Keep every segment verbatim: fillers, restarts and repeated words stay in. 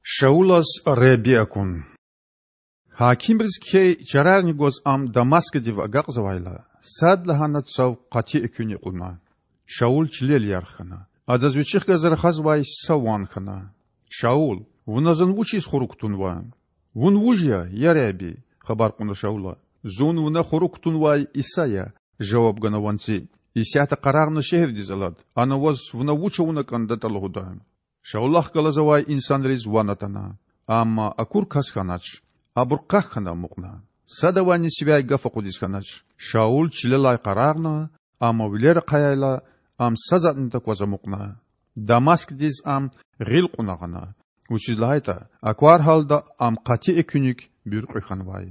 Шаулаз Худа акун. Гьакимриз кхьей чарарни гваз ам Дамаскдив агакьзавайла, садлагьана цав къати экуьнихъ кьуна. Шаул чилел ярх хьана. Адаз вичихъ галаз рахазвай са ван хьана. Шаул, вуна зун вучиз хурук тунва? Вун вуж я, я Худа? хабар кьуна Шаула. Зун вуна хурук тунвай Иса я,– жаваб гана ванци. Исятда къарагъна шегьердиз алад, ана ваз вуна вуч авуна кӀандатӀа лугьуда. Шаулахъ галаз авай инсанриз ван атана, амма акур кас хьанач. Абур къах хьана амукьна. Садавайни сивяй гаф акъудиз хьанач. Шаул чилелай къарагъна, амма вилер ахъаяйла, ам са затӀни такваз амукьна. Дамаскдиз ам гъил кьуна гъана, вучиз лагьайтӀа аквар гьалда ам къати экуьник буьркьуь хьанвай.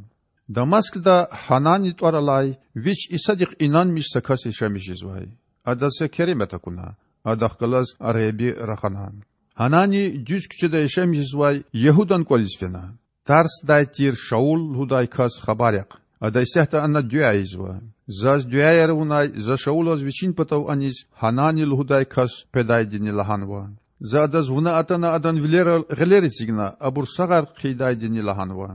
Дамаскда Гьанани тӀвар алай, вич Исадихъ инанмиш са кас яшамиш жезвай. Адаз са керемат акуна, адахъ галаз Худа рахана. Гьанани дуьз куьчеда яшамиш жезвай Ягьудан кӀвализ фена. Тарсдай тир Шаул лугьудай кас хабар яхъ. Ада исятда ана дуьа ийизва: Заз дуьаяр авунай за Шаулаз вичин патав аниз Гьанани лугьудай кас къведайдини лагьанва. За адаз вуна атана адан вилерал гъилер эцигна, абур сагъар хъийидайдини лагьанва.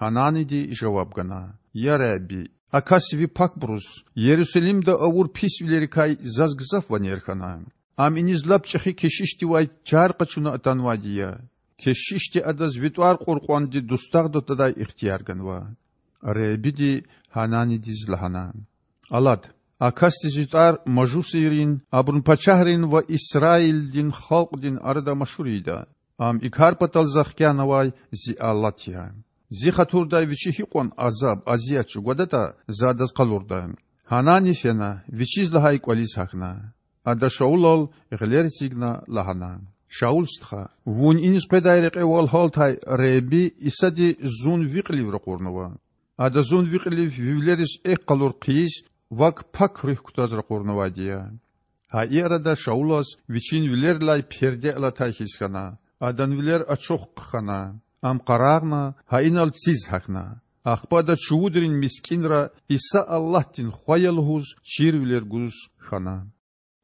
Гьананиди жаваб гана: Я Худа, а кас ви пакбуруз Ярусалимда авур писвилерикай заз гзаф ванер хьана. Ам иниз лап чӀехи кешишдивай чар къачуна атанвайди я. Кешишди адаз ви тӀвар кьур кьванди дустагъда твадай ихтияр ганва. Худади Гьананидиз лагьана: Алад, а касди Зи тӀвар мажусийрин, абурун пачагьрин ва Исраилдин халкьдин арада машгьур ийида. Ам и кар патал За хкянавай Зи алат я. Зи хатурдай вичи гьикьван азаб-азият чӀугвадатӀа За адаз къалурда. Гьанани фена, вичиз лагьай кӀвализ гьахьна. Ада Шаулал гъилер эцигна лагьана: Шаул стха, вун иниз къведай рекьевал гьалтай Худади Исади зун ви кьилив ракъурнава. Ада зун ви кьилив ви вилериз экв къалур хъийиз, вак Пак Руьгь кутаз ракъурнавайди я. Гьа и арада Шаулаз вичин вилерилай перде алатай хьиз хьана, адан вилер ачух хъхьана. Ам къарагъна, гьа инал циз гьахьна. Ахпа ада чувудрин мискӀинра Иса Аллагьдин Хва я лугьуз чирвилер гуз хьана.